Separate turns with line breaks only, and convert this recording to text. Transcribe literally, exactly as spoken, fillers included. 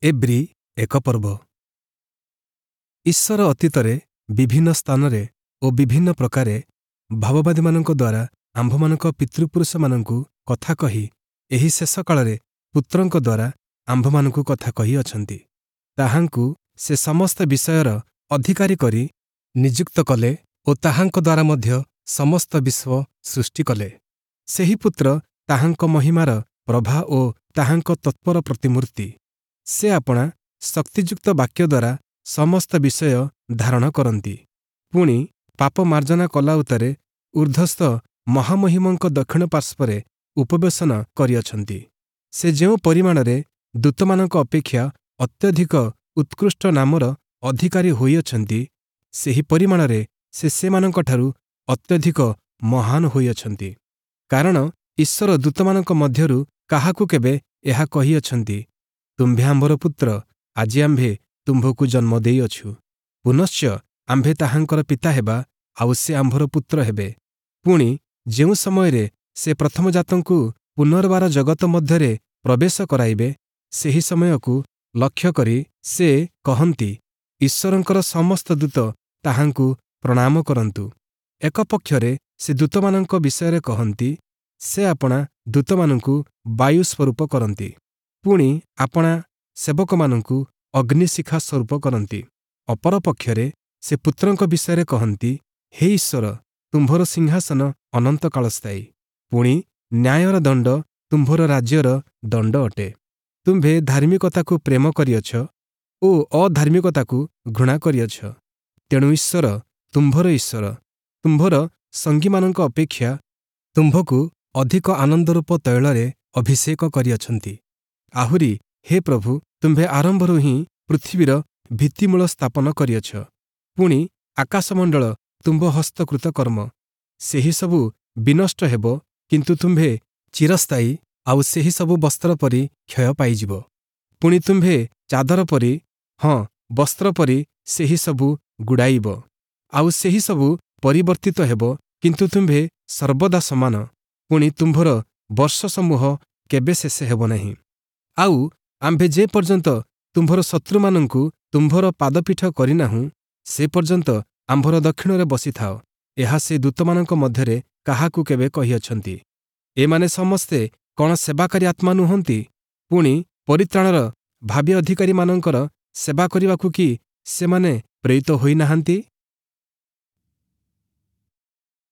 ଏବ୍ରୀ ଏକ ପର୍ବ ଈଶ୍ୱର ଅତୀତରେ ବିଭିନ୍ନ ସ୍ଥାନରେ ଓ ବିଭିନ୍ନ ପ୍ରକାରେ ଭାବବାଦୀମାନଙ୍କ ଦ୍ୱାରା ଆମ୍ଭମାନଙ୍କ ପିତୃପୁରୁଷମାନଙ୍କୁ କଥା କହି ଏହି ଶେଷ କାଳରେ ପୁତ୍ରଙ୍କ ଦ୍ୱାରା ଆମ୍ଭମାନଙ୍କୁ କଥା କହିଅଛନ୍ତି। ତାହାଙ୍କୁ ସେ ସମସ୍ତ ବିଷୟର ଅଧିକାରୀ କରି ନିଯୁକ୍ତ କଲେ ଓ ତାହାଙ୍କ ଦ୍ୱାରା ମଧ୍ୟ ସମସ୍ତ ବିଶ୍ୱ ସୃଷ୍ଟି କଲେ। ସେହି ପୁତ୍ର ତାହାଙ୍କ ମହିମାର ପ୍ରଭା ଓ ତାହାଙ୍କ ତତ୍ତ୍ୱର ପ୍ରତିମୂର୍ତ୍ତି। ସେ ଆପଣା ଶକ୍ତିଯୁକ୍ତ ବାକ୍ୟ ଦ୍ୱାରା ସମସ୍ତ ବିଷୟ ଧାରଣ କରନ୍ତି। ପୁଣି ପାପ ମାର୍ଜନା କଲା ଉତ୍ତାରେ ଊର୍ଦ୍ଧ୍ୱସ୍ଥ ମହାମହିମଙ୍କ ଦକ୍ଷିଣ ପାର୍ଶ୍ୱରେ ଉପବେଶନ କରିଅଛନ୍ତି। ସେ ଯେଉଁ ପରିମାଣରେ ଦୂତମାନଙ୍କ ଅପେକ୍ଷା ଅତ୍ୟଧିକ ଉତ୍କୃଷ୍ଟ ନାମର ଅଧିକାରୀ ହୋଇଅଛନ୍ତି, ସେହି ପରିମାଣରେ ସେ ସେମାନଙ୍କଠାରୁ ଅତ୍ୟଧିକ ମହାନ ହୋଇଅଛନ୍ତି। କାରଣ ଈଶ୍ୱର ଦୂତମାନଙ୍କ ମଧ୍ୟରୁ କାହାକୁ କେବେ ଏହା କହିଅଛନ୍ତି, ତୁମ୍ଭେ ଆମ୍ଭର ପୁତ୍ର, ଆଜି ଆମ୍ଭେ ତୁମ୍ଭକୁ ଜନ୍ମ ଦେଇଅଛୁ। ପୁନଶ୍ଚ ଆମ୍ଭେ ତାହାଙ୍କର ପିତା ହେବା, ଆଉ ସେ ଆମ୍ଭର ପୁତ୍ର ହେବେ। ପୁଣି ଯେଉଁ ସମୟରେ ସେ ପ୍ରଥମଜାତଙ୍କୁ ପୁନର୍ବାର ଜଗତ ମଧ୍ୟରେ ପ୍ରବେଶ କରାଇବେ, ସେହି ସମୟକୁ ଲକ୍ଷ୍ୟ କରି ସେ କହନ୍ତି, ଈଶ୍ୱରଙ୍କର ସମସ୍ତ ଦୂତ ତାହାଙ୍କୁ ପ୍ରଣାମ କରନ୍ତୁ। ଏକ ପକ୍ଷରେ ସେ ଦୂତମାନଙ୍କ ବିଷୟରେ କହନ୍ତି, ସେ ଆପଣା ଦୂତମାନଙ୍କୁ ବାୟୁ ସ୍ୱରୂପ କରନ୍ତି, ପୁଣି ଆପଣା ସେବକମାନଙ୍କୁ ଅଗ୍ନିଶିଖା ସ୍ୱରୂପ କରନ୍ତି। ଅପର ପକ୍ଷରେ ସେ ପୁତ୍ରଙ୍କ ବିଷୟରେ କହନ୍ତି, ହେ ଈଶ୍ୱର, ତୁମ୍ଭର ସିଂହାସନ ଅନନ୍ତକାଳସ୍ଥାୟୀ, ପୁଣି ନ୍ୟାୟର ଦଣ୍ଡ ତୁମ୍ଭର ରାଜ୍ୟର ଦଣ୍ଡ ଅଟେ। ତୁମ୍ଭେ ଧାର୍ମିକତାକୁ ପ୍ରେମ କରିଅଛ ଓ ଅଧାର୍ମିକତାକୁ ଘୃଣା କରିଅଛ। ତେଣୁ ଈଶ୍ୱର, ତୁମ୍ଭର ଈଶ୍ୱର, ତୁମ୍ଭର ସଙ୍ଗୀମାନଙ୍କ ଅପେକ୍ଷା ତୁମ୍ଭକୁ ଅଧିକ ଆନନ୍ଦରୂପ ତୈଳରେ ଅଭିଷେକ କରିଅଛନ୍ତି। ଆହୁରି ହେ ପ୍ରଭୁ, ତୁମ୍ଭେ ଆରମ୍ଭରୁ ହିଁ ପୃଥିବୀର ଭିତ୍ତିମୂଳ ସ୍ଥାପନ କରିଅଛ, ପୁଣି ଆକାଶମଣ୍ଡଳ ତୁମ୍ଭ ହସ୍ତକୃତ କର୍ମ। ସେହିସବୁ ବିନଷ୍ଟ ହେବ, କିନ୍ତୁ ତୁମ୍ଭେ ଚିରସ୍ଥାୟୀ, ଆଉ ସେହିସବୁ ବସ୍ତ୍ର ପରି କ୍ଷୟ ପାଇଯିବ। ପୁଣି ତୁମ୍ଭେ ଚାଦର ପରି, ହଁ ବସ୍ତ୍ର ପରି ସେହିସବୁ ଗୁଡ଼ାଇବ, ଆଉ ସେହିସବୁ ପରିବର୍ତ୍ତିତ ହେବ, କିନ୍ତୁ ତୁମ୍ଭେ ସର୍ବଦା ସମାନ, ପୁଣି ତୁମ୍ଭର ବର୍ଷସମୂହ କେବେ ଶେଷ ହେବ ନାହିଁ। ଆଉ ଆମ୍ଭେ ଯେ ପର୍ଯ୍ୟନ୍ତ ତୁମ୍ଭର ଶତ୍ରୁମାନଙ୍କୁ ତୁମ୍ଭର ପାଦପୀଠ କରିନାହୁଁ, ସେ ପର୍ଯ୍ୟନ୍ତ ଆମ୍ଭର ଦକ୍ଷିଣରେ ବସିଥାଅ। ଏହା ସେ ଦୂତମାନଙ୍କ ମଧ୍ୟରେ କାହାକୁ କେବେ କହିଅଛନ୍ତି? ଏମାନେ ସମସ୍ତେ କ'ଣ ସେବାକାରୀ ଆତ୍ମା ନୁହନ୍ତି? ପୁଣି ପରିତ୍ରାଣର ଭାବୀ ଅଧିକାରୀମାନଙ୍କର ସେବା କରିବାକୁ କି ସେମାନେ ପ୍ରେରିତ ହୋଇନାହାନ୍ତି?